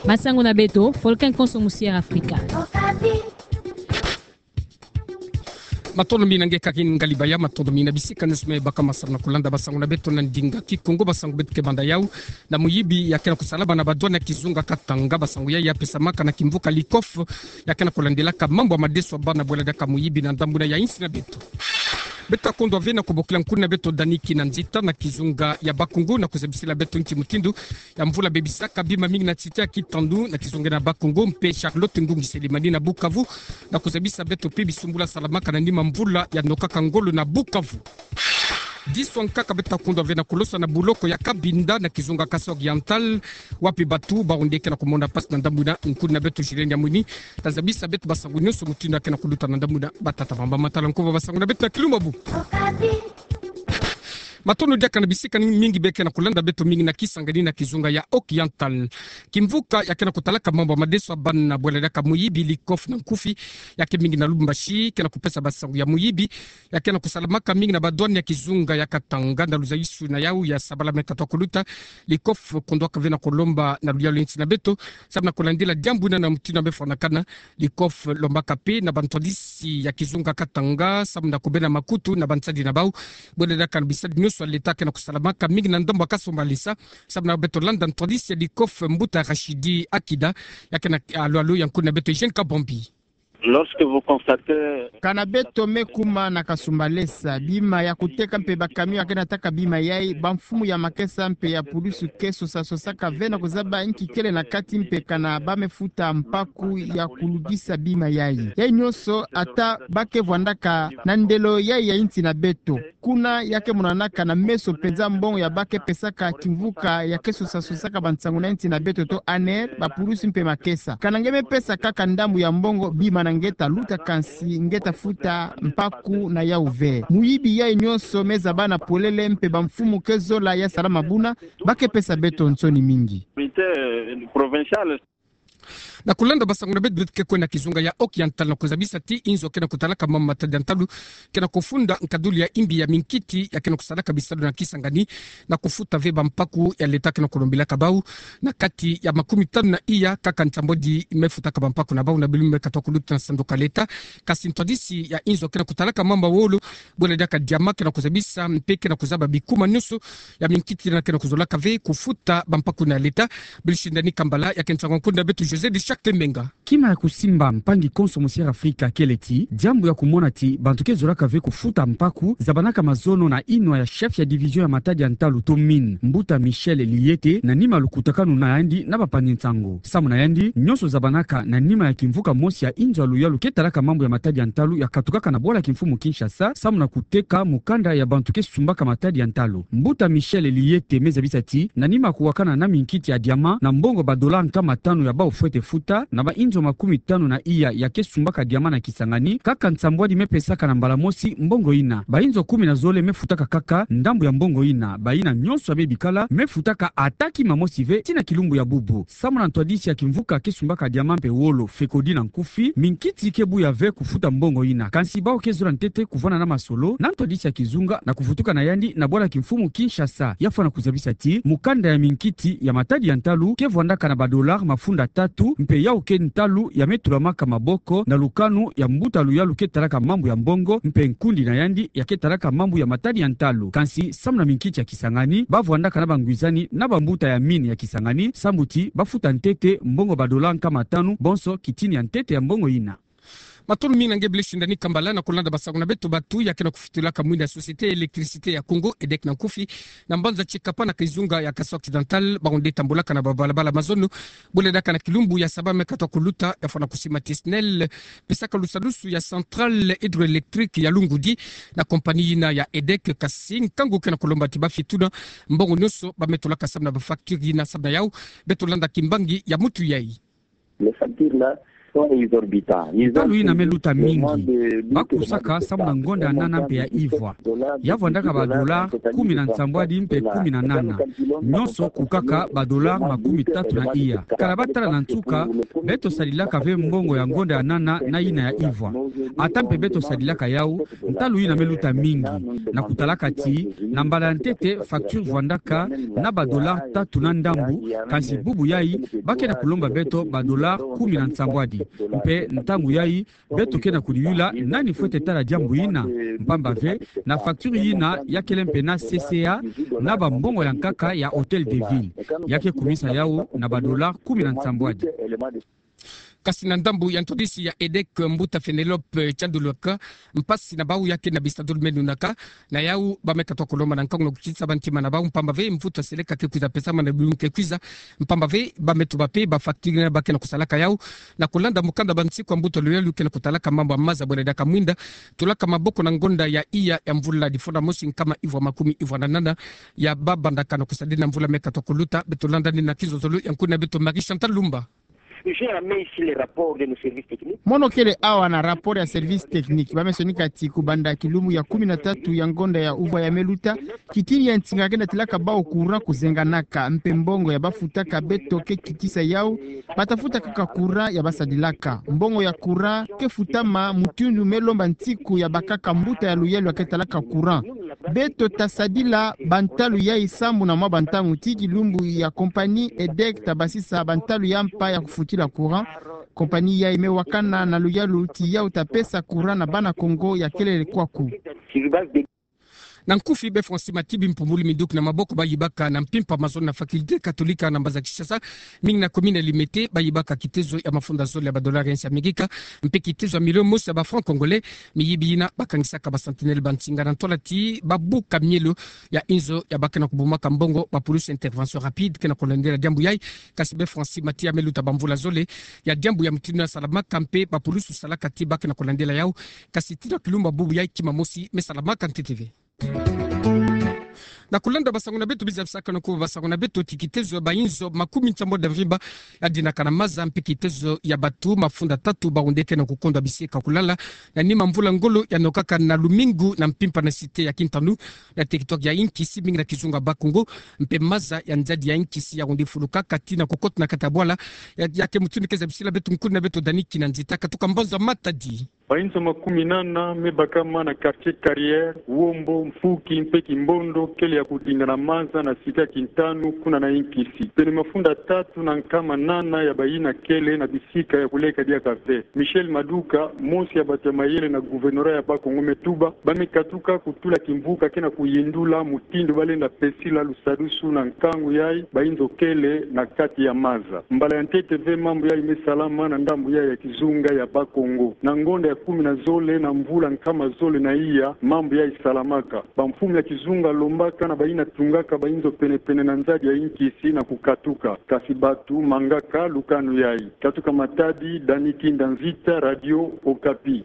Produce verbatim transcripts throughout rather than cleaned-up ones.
Masangu na beto, Volcan Konso Musier Afrika. Matondo mingi na nge Karine Ngalibaya, matondo mingi na bisika nyonso me baka ma sabana kulanda basangu na beto na ndinga Kikongo. Basangu beto ke banda yau na muyibi ya ke na kusalama na ba douane ya kizunga Katanga. Basangu yayi ya pesamaka na kimvuka Likof, ya ke na kulandilaka mambu ya madeso ya bana bwela diaka muyibi na ndambu ina ya insi na beto. Beto ta kondwa ve na kubokila nkuna beto Dani Kinanzita na kizunga ya Bakongo na kuzabisila beto nki mutindu ya mvula bebisaka bima mingi na nsita ya kitandu na kizunga na Bakongo, mpe Charlotte Ngungi Selimani na Bukavu, na kuzabisa beto mpe bisumbula salamaka na nima mvula ya nokaka ngolo na Bukavu. Diso nkaka beto ta kondwa ve na kulosa na buloko ya Cabinda na kizunga Kasaï Oriental, wapi batu baonde ke na kumona mpasi na ndambu ina. Nkuna beto Julienne Yamwini ta zabisa beto basangu nyonso mutindu ya ke na kuluta na ndambu ina. Batata, bamama, tala nkuba basangu na beto na kilumbu ya bubu. Matondo diaka na bisika mingi be ke na kulanda beto mingi na Kisangani na kizunga ya Oriental. Kimvuka ya ke na kutalaka mambu ya madeso ya bana bwela diaka muyibi Likof na nkufi, ya ke mingi na Lubumbashi, ke na kupesa basangu ya muyibi ya ke na kusalamaka mingi na ba douane ya kizunga ya Katanga na luzayisu na yau ya sabala me katu kuluta. Likof kondwaka ve na kulomba na luyalu ya insi na beto samu na kulandila diambu ina na mutindu ya me fwanakana. Likof lombaka mpe na bantwadisi ya kizunga Katanga samu na kubena makutu na bansadi na bau bwela diaka na bisadi nyonso ya leta ke na kusalamaka mingi na ndambu ya kasumbalesa. Samu na beto landa ntwadisi ya Likof, mbuta Rachidi Akida, ya ke na luyalu ya nkuna beto Eugène Kabombi. Lorsque vous constatez... Kana beto me kuma na kasumbalesa, bima ya kuteka mpe ba camion ya ke na taka bima yayi, bamfumu ya makesa mpe ya pulusu ke sosa-sosaka ve na kuzaba nki kele na kati mpe kana ba me futa mpaku ya kuludisa bima yayi. Yayi nyonso ata ba ke vwandaka na ndelo yayi ya insi na beto. Kuna ya ke monanaka na meso mpenza mbongo ya ba ke pesaka kimvuka ya ke sosa-sosaka bansangu na insi na beto to ANR, bapulusu mpe makesa. Kana nge me pesa kaka ndambu ya mbongo, bima na nge ta luta, kansi nge ta futa mpaku na yau ve. Muyibi yayi nyonso me zaba na polele mpe bamfumu ke zola ya salama buna, ba ke pesa beto nsoni mingi. Autorité, euh, provinciale. Na kulanda basangu na beto, beto ke kwenda na kizunga ya Oriental na kuzabisa ti inzo ke na kutalaka mambu ya matadi ya ntalu ke na kufunda nkadulu ya imbi ya minkiti ya ke na kusalaka bisalu na Kisangani na kufuta ve bampaku ya leta ke na kulombilaka bau na kati ya makumi tanu na iya, kaka nsambwadi me futaka bampaku na bau na bilumbu me katu kuluta na sanduka leta. Kansi ntwadisi ya inzo ke na kutalaka mambu ya wolo bwela diaka diamant ke na kuzabisa mpe ke na kuzaba bikuma nyonso ya minkiti ina ke na kuzolaka ve kufuta bampaku na leta. Belchine Dani Kambala, ya ke nsangu ya nkuna beto José de Charte Menga. Kima ya kusimba mpangi Konso Musier Afrika kele ti diambu ya kumona ti bantu ke zolaka ve kufuta mpaku zabanaka mazono na inwa ya chef ya division ya matadi ya ntalu to mine, mbuta Michel Liyete, na nima lukutakanu na yandi na bapangi nsangu. Samu na yandi, nyonso zabanaka na nima ya kimvuka mosi ya inzo ya luyalu ke talaka mambu ya matadi ya ntalu ya katukaka na bwala kimfumu Kinshasa, samu na kuteka mukanda ya bantu ke sumbaka matadi ya ntalu. Mbuta Michel Liyete me zabisa ti na nima kuwakana na minkiti ya diamant na mbongo ba dollars nkama tanu ya bau fwete futa na ba inzo makumi tanu na iya ya ke sumbaka diamant na Kisangani, kaka nsambwadi me pesaka na mbala mosi mbongo ina. Ba inzo kumi na zole me futaka kaka ndambu ya mbongo ina. Bayina nyonso ya me bikala me futaka ata kima mosi ve ti na kilumbu ya bubu. Samu na ntwadisi ya kimvuka ke sumbaka diamant mpe wolo, FECODI na nkufi, minkiti ke buya ve kufuta mbongo ina. Kansi bau ke zola ntete kuvanda na masolo na ntwadisi ya kizunga na kuvutuka na yandi na bwala kimfumu Kinshasa. Ya fwana kuzabisa ti mukanda ya minkiti ya matadi ya ntalu ke vwandaka na ba dollars mafunda tatu, mpe yau ke ntalu ya me tulamaka maboko na lukanu ya mbuta luyalu ke talaka mambu ya mbongo mpe nkundi na yandi ya ke talaka mambu ya matadi ya ntalu. Kansi samu na minkiti ya Kisangani, ba vwandaka na bangwizani na bambuta ya mine ya Kisangani, sambu ti ba futa ntete mbongo ba dollars nkama tanu, bonso kitini ya ntete ya mbongo ina. Matondo mingi na nge Belchine Dani Kambala. Na kulanda basangu na beto, batu ya ke na kufutulaka mwinda ya Société Électricité ya Congo, EDEC na nkufi, na mbanza Tshikapa na kizunga ya Kasaï Occidental, bawu nde tambulaka na babalabala mazono bwela diaka na kilumbu ya saba me katu kuluta. Ya fwana kusima ti SNEL pesaka lusadusu ya centrale hydroélectrique ya Lungudi na compagnie yina ya EDEC, kansi nkangu ke na kulomba ti ba fituna mbongo nyonso ba me tulaka samu na ba facture yina. Samu na yau, beto landa kimbangi ya mutu yayi. Les factures là, Ntalu yina me luta mingi. Ba kusaka samu na ngonda ya nana mpe ya ivwa. Ya vwandaka ba dollars kumi na nsambwadi mpe kumi na nana. Nyonso kukaka ba dollars makumi tatu na iya. Kala ba tala na nsuka, beto sadilaka ve mbongo ya ngonda ya nana na yina ya ivwa. Ata mpe beto sadilaka yawu, ntalu yina me luta mingi. Na kutalaka ti, na mbala ya ntete facture vwandaka na ba dollars tatu na ndambu, kasi bubu yayi, ba ke na kulomba beto ba dollars kumi na nsambwadi. Mpe ntangu yayi, beto ke na kudiyula nani fwete tala diambu yina, mpamba ve, na facture yina ya kele mpe na C C A, na ba mbongo ya nkaka ya Hôtel de Ville. Ya ke kumisa yawu na ba dollars kumi na nsambwadi. Kasi na ndambu ya ntwadisi ya EDEC, mbuta Fénélope Tiandoloka, mpasi na bawu ya ke na bisadulu me nunaka, na yawu ba me katuka kulomba na nkangu na kukitisa ba ntima na bawu, mpamba ve mvutu ya seleka ke kwiza pesama na bilumbu ke kwiza, mpamba ve ba me tuba mpe ba facture yina ba ke na kusalaka yawu, na kulanda mukanda ba nsiku ya mbuta luyalu ke na kutalaka mambu ya maza bwela diaka mwinda, tulaka maboko na ngonda ya iya ya mvula difunda mosi nkama ivwa makumi ivwa na nana, ya ba bandaka na kusadila na mvula me katuka kuluta, beto landa ni na kizozolo ya nkuna beto Marie Chantal Lumba. J'ai amené ici les rapports de nos services techniques. Mono kele awa na rapport ya service technique. Ba me sonika ti kubanda kilumbu ya kumi na tatu ya ngonda ya uvwa ya me luta, kitini ya nsinga ke natilaka bawu courant kuzenganaka, mpe mbongo ya ba futaka beto ke kitisa yawu, ba ta futa kaka courant ya ba sadilaka. Mbongo ya courant ke futama mutindu me lomba nsiku ya bakaka mbuta ya luyalu ya ke talaka courant. Beto ta sadila ba ntalu yayi sambu na mwa ba ntangu ti kilumbu ya compagnie EDEC ta basisa ba ntalu ya mpa ya kufutila courant. Compagnie yayi me wakana na luyalu ti yawu ta pesa courant na bana Kongo ya kelele kwaku. Na nkufi, be Francis Mati, bimpumbulu minduki na maboko ba yibaka na mpimpa mazono na faculté catholique na mbanza Kinshasa, mingi na commune ya Limete, ba yibaka kitezo ya mafunda zole ya ba dollars ya nsi ya Amerika, mpe kitezo ya million mosi ya ba francs congolais. Miyibi yina ba kangisaka ba sentinelles ba nsinga na ntwala ti ba buka mielo ya inzo ya ba ke na kubumaka mbongo, ba pulusu intervention rapide ke na kulandela diambu yayi. Kasi be Francis Mati, ya me luta ba mvula zole ya diambu ya mutindu yina salamaka, mpe ba pulusu salaka ti ba ke na kulandela yawu. Kasi tii na kilumbu ya bubu yayi kima mosi me salamaka ntete ve. Na kulanda ba sango na beto, biza bisaka na kuba ba sango na beto ti kitezo ya ba inzo makumi nsambwadi na vimba ya dinaka na maza, mpe kitezo ya batu mafunda tatu ba onde ke na kukondwa bisi ka kulala na nima mvula ngolo ya nokaka na lumingu na mpimpa na cité ya Kintandu, na territoire ya Nkisi, mingi na kizunga Bas-Congo, mpe maza ya nzadi ya Nkisi ya onde fuluka kati na kukota na kati ya bwala. Ya, ya ke mutindu ke zabisila beto nkuna beto Dani Kinanzita katuka mbanza Matadi. Ba inzo makumi nana me bakama na quartier Carrière, Wombo, Mfuki mpe Kimbondo kele ya kudinga na maza na cité ya Kintandu kuna na Nkisi. Pene mafunda tatu na nkama nana ya bayina kele na bisika ya kuleka diaka ve. Michel Maduka, mosi ya batu ya mayele na gouvernorat ya Bas-Congo, me tuba ba me katuka kutula kimvuka ke na kuyindula mutindu ba lenda pesila lusadusu na nkangu yayi ba inzo kele na kati ya maza. Mbala ya ntete ve mambu yayi me salama na ndambu yayi ya kizunga ya Bas-Congo. Na ngonda ya kumi na zole na mvula nkama zole na iya, mambu yayi salamaka. Ba mfumu ya kizunga lombaka na bayina tungaka ba inzo pene-pene na nzadi ya Nkisi na kukatuka. Kasi batu mangaka lukanu yayi. Katuka Matadi, Dani Kinanzita, Radio Okapi.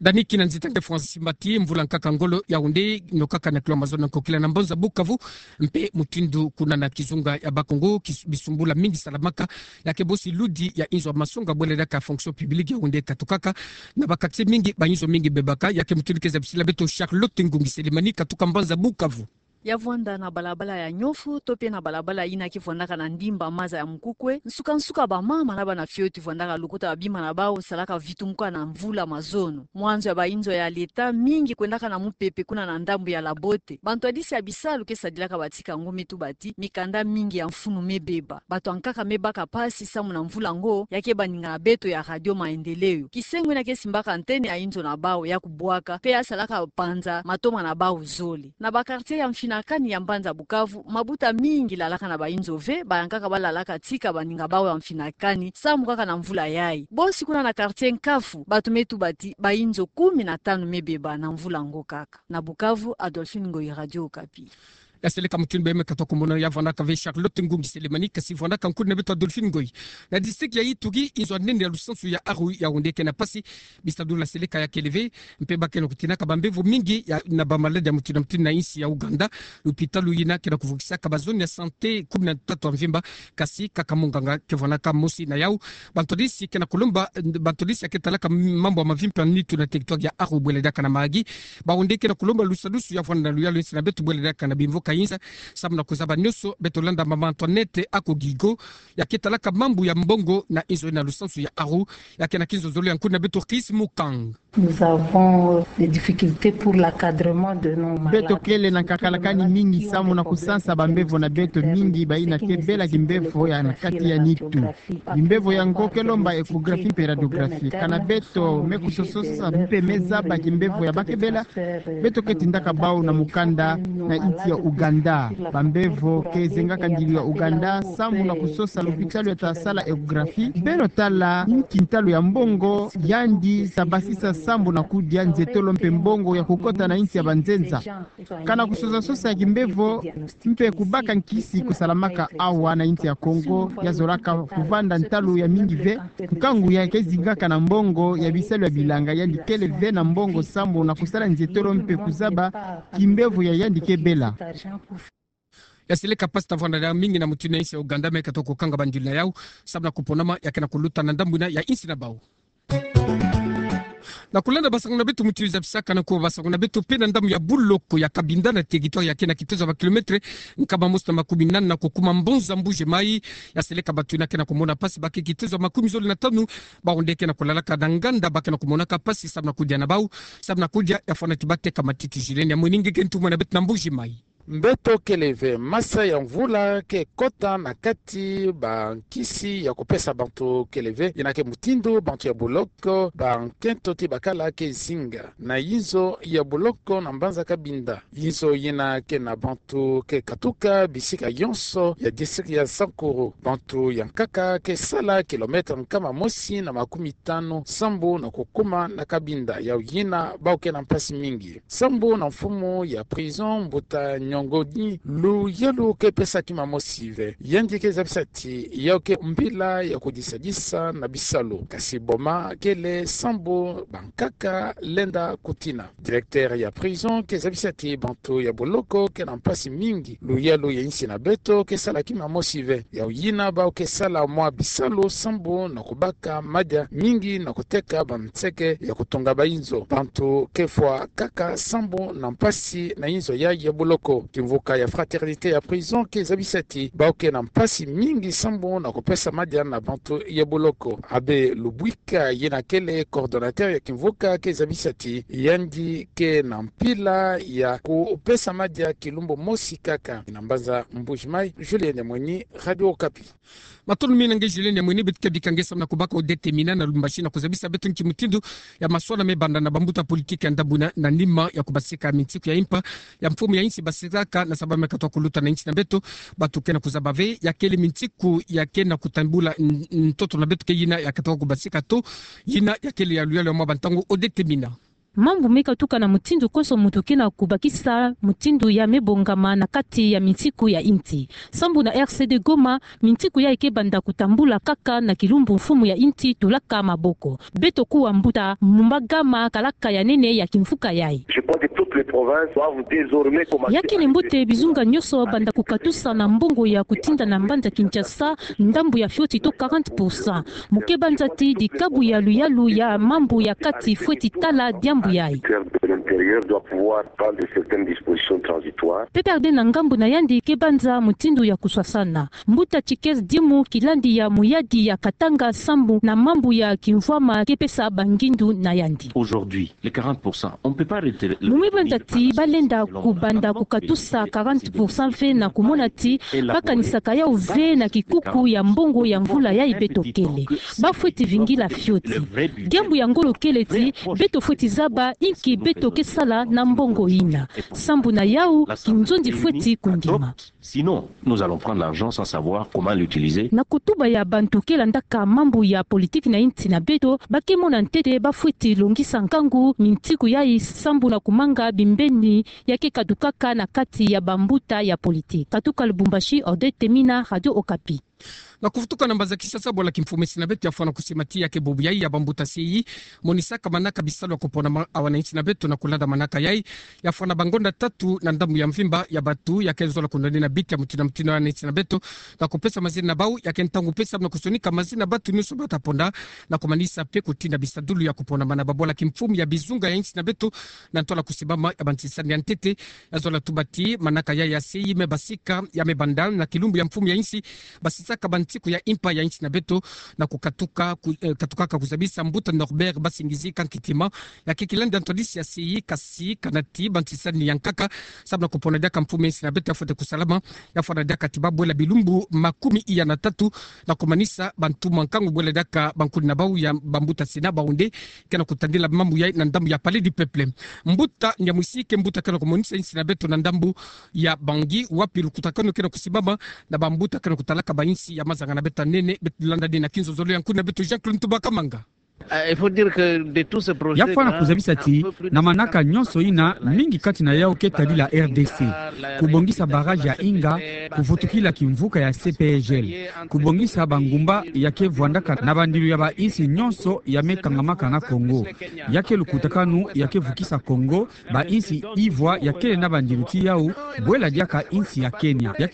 Dani Kinanzita nge Francis Mati, mvula nkaka ngolo ya onde nokaka na kilomètre mazono na nkokila na mbanza Bukavu, mpe mutindu kuna na kizunga ya Bas-Congo, kis-, bisumbula mingi salamaka, ya ke bosi ludi ya inzo ya masonga bwela diaka fonction publique ya onde katukaka, na ba quartier mingi, ba inzo mingi bebaka, ya ke mutindu ke zabisila beto Charlotte Ngungi Selemani katuka mbanza Bukavu. Ya vwanda na balabala ya Nyofu, to pe na balabala yina ke vwandaka na ndimba maza ya Mukukwe, nsuka-nsuka bamama na bana fioti vwandaka lukuta babima na bawu salaka vitumuka na mvula mazono. Mwanzo ya ba inzo ya leta mingi kwendaka na mupepe kuna na ndambu ya Labote. Bantwadisi ya bisalu ke sadilaka batika ngu me tuba ti mikanda mingi ya mfunu me beba. Bato ya nkaka me baka mpasi samu na mvula ngo, ya ke baninga na beto ya Radio Maendeleo. Kisengo yina ke simbaka antenne ya inzo na bawu ya kubwaka, pe ya salaka panza matoma na bawu zole. Na ba quartier ya mfinakani ya mbanza Bukavu, mabuta mingi lalaka na ba inzo ve, bayankaka balalaka tika baninga bawu ya mfinakani, samu kaka na mvula yayi. Bosi kuna na quartier Nkafu, bato me tuba ti ba inzo kumi na tanu me beba na mvula ngo kaka. Na Bukavu, Adolphine Ngoyi, Radio Okapi. Ya seleka mutindu beme katokomona ya vwanaka ve Charlotte Ngungi Selemani, kasi vwanaka nkuna beto Adolphine Ngoy. Na district ya Ituri, inzo ya nene ya lusansu ya Aru ya onde kena mpasi, bisadula seleka ya kele ve, mpe ba kena kutinaka bambevo mingi ya na bamaladi ya mutindu na mutindu na insi ya Ouganda, lupitalu yina kena kuvukisaka bazone ya santé kumi na tatu ya mvimba, kasi kaka munganga ke vwanaka mosi na yau. Bantwadisi kena kulomba, bantwadisi ya ketalaka mambu ya mavimpi ya nitu na territoire ya Aru bwele diaka na magi. Ba onde kena kulomba lusadusu ya vwanda na luyalu insi na beto bwele diaka na bimvo ka inza, samu na kuzaba nioso, beto landa mama Antoinette Akogigo, ya ketalaka mambu ya mbongo na inzo na lusansu ya Aru, ya kena kinzo zolo ya nkuna beto Chris Mukang. Nous avons des difficultés pour l'encadrement de nos malades. Beto kele na nkakalakani mingi samu na kusansa bambevo na beto mingi bayina ke bela kimbevo ya na kati ya nitu. Kimbevo yango ke lomba échographie mpe radiographie. Kana beto me kusososa mpe me zaba kimbevo ya ba ke bela, beto ke tindaka bau na mukanda na insi ya Ouganda. Bambevo ke zengaka ndilu ya Ouganda samu na kusosa lupitalu ya ta sala échographie, beno tala nki ntalu ya mbongo yandi sa basisa samu na kudia nzetolo mpe mbongo ya kukota na insi ya banzenza. Kana kusosasosa ya kimbevo mpe kubaka nkisi kusalamaka awa na insi ya Kongo, ya zolaka kuvanda ntalu ya mingi ve. Nkangu ya ke zingaka na mbongo ya bisalu ya bilanga, yandi kele ve na mbongo samu na kusala nzetolo mpe kuzaba kimbevo ya yandi ke bela. Ya seleka mpasi ta vwanda na mingi na mutindu na insi ya Ouganda, me katoka kukanga bandilu na yau, samu na kuponama ya kena kuluta na ndambu yina ya insi na bau. Na kulanda basango na beto mutindu zabisaka na kuwa basango na beto mpe na ndambu ya boloko ya Cabinda na territoire ya kena kitezo ya ba kilomètre nkama mosi na makumi nana na kukuma mbonza Mbuji-Mayi, ya seleka bato yina kena kumona mpasi ba ke kitezo ya makumi zole na tanu, ba onde kena kulalaka na nganda ba kena kumonaka mpasi samu na kudia na bau, samu na kudia ya fwana ti bateka matiti. Julien Nyamweni nge ke ntumwa na beto na Mbuji-Mayi. Mbeto kele ve, masa ya mvula ke kota na kati, bankisi ya kupesa bantu kele ve, yina ke mutindu bantu ya boloko, bankento ti bakala ke zinga na inzo ya boloko na mbanza Cabinda. Inzo yina ke na bantu ke katuka bisika yonso ya district ya Sankuru. Bantu ya nkaka ke sala kilomètre nkama mosi na makumi tanu sambu na kukuma na Cabinda, yau yina bau ke na mpasi mingi. Sambu na mfumu ya prison, mbuta Nyongoni, luyalu ke pesa kima mosi ve. Yandi ke zabisa ti yau ke mbila ya kudisadisa na bisalu. Kasi boma kele sambu bankaka lenda kutina. Directeur ya prison ke zabisa ti bantu ya boloko ke na mpasi mingi. Luyalu ya insi na beto ke sala kima mosi ve. Yau yina bau ke sala mwa bisalu sambu na kubaka madia mingi na kuteka banseke ya kutonga bainzo. Bantu ke fwa kaka sambu na mpasi na inzo ya, ya boloko. Kimvuka ya Fraternité ya prison ke zabisa ti bau ke na mpasi mingi sambu na kupesa madia na bantu ya boloko. Abbé Lubwika, yina kele coordonnateur ya kimvuka, ke zabisa ti yandi ke na mpila ya kupesa madia kilumbu mosi kaka. Na mbanza Mbuji-Mayi, Julien Nyamweni, Radio Okapi. Matondo mingi na nge Julien Nyamweni. Beto ke bika nge samu na kubaka Odette Mina na Lubumbashi na kuzabisa beto nki mutindu ya maswala me banda na bambuta politique ya ndambu yina na nima ya kubasika minsiku ya impa ya mfumu ya insi basiraka na samu ba me katoka kuluta na insi na beto. Bato ke na kuzaba ve ya kele minsiku ya ke na kutambula n-, ntoto na beto ke yina ya katoka kubasika to yina ya kele ya luyalu ya mwa bantangu. Odette Mina. Mambu me katuka na mutindu konso muntu ke na kubakisa mutindu ya me bongama na kati ya minsiku ya insi. Sambu na R C D Goma, minsiku yayi ke banda kutambula kaka na kilumbu mfumu ya insi tulaka maboko. Beto kuwa mbuta mu magama kalaka ya nene ya kimvuka yayi. Je crois que toutes les provinces doivent désormais commencer. Ya kele mbote bizunga nyonso banda kukatusa na mbongo ya kutinda na mbanza Kinshasa ndambu ya fioti to quarante pour cent. Mu ke banza ti dikabu ya luyalu ya mambu ya kati fweti tala diambu yayi. Le ministère de l'Intérieur doit pouvoir prendre certaines dispositions transitoires. P P R D na ngambu na yandi ke banza mutindu ya kuswasana. Mbuta Tshikez Dimu, kilandi ya muyadi ya Katanga sambu na mambu ya kimvwama, ke pesa bangindu na yandi. Aujourd'hui, les quarante pour cent, on peut pas retirer le... Mu me banza ti ba lenda kubanda kukatusa quarante pour cent ve na kumona ti ba kanisaka yau ve na kikuku ya mbongo ya mvula yayi beto kele. Ba fweti vingila fioti. Diambu ya ngolo kele ti beto fweti zaba inki beto ke ke sala na mbongo ina. Sambu na yau, kinzonzi fweti kondima. Sinon, nous allons prendre l'argent sans savoir comment l'utiliser. Na kotuba ya bantu ke landaka mambu ya politiki na insi na beto, ba ke mona ntete ba fweti longisa nkangu mintiku yai sambu na kumanga bimbeni ya ke katukaka na kati ya bambuta ya politiki. Katuka Lubumbashi, Odette Mina, Radio Okapi. Na kuvutuka na mbanza Kinshasa, bwala kimfumu ya insi na beto ya fwana kusima ti ya ke bubu yai ya bambuta C I I monisaka manaka bisalu ya kupona ma-, awa na insi na beto. Na kulanda manaka yai, ya fwana bangonda tatu na ndambu ya mvimba ya batu ya ke zola kundani na biti ya mutindu na mutindu awa na insi na beto, na kupesa mazina na bau ya ke ntangu pesa na kusonika mazina batu nyonso bata ponda, na kumanisa mpe kutinda bisadulu ya kupona mana. Babwala kimfumu ya bizunga ya insi na beto na ntwala kusimbama ya bansinisani ya ntete, ya zola tuba ti manaka yai ya C I I me basika ya me banda na kilumbu ya mfumu ya insi, basisaka bantiku ya impa ya insi na beto, na kukatuka ku-, eh, katukaka kuzabisa mbuta Norbert Basingizi Kankitima, ya ke kilandi ya ntwadisi ya C I I, kasi kana ti bansinisani ya nkaka, sambu na kupona diaka mfumu ya insi na beto ya fwete kusalama, ya fwana diaka ti babwela bilumbu makumi iya na tatu, na kumanisa bantu mwa nkangu bwela diaka bankuni na bau ya bambuta Sénat Baoundé, ke na kutandila mambu yai na ndambu ya Palais du Peuple. Mbuta Nyamwisi ke mbuta ke na kumonisa insi na beto na ndambu ya Bangui, wapi lukutakanu ke na kusimbama na bambuta ke na kutalaka ba insi ya mazanga na beto ya nene. Beto landa dina na kinzonzolo ya nkuni na beto Jean-Claude Ntumba Kamanga. Euh, il faut dire que de tous ces projets, ya fwana kuzabisa ti na manaka nyonso ina, mingi kati na yau ke tadila R D C. Kubongisa barrage ya Inga, kuvutukila kimvuka ya C P G L, kubongisa bangumba ya ke vwandaka na bandilu ya ba insi nyonso ya me kangamaka na Congo. Ya ke lukutakanu ya ke vukisa Congo, ba insi ivwa ya kele na bandilu ti yau, bwela diaka insi ya Kenya. Ya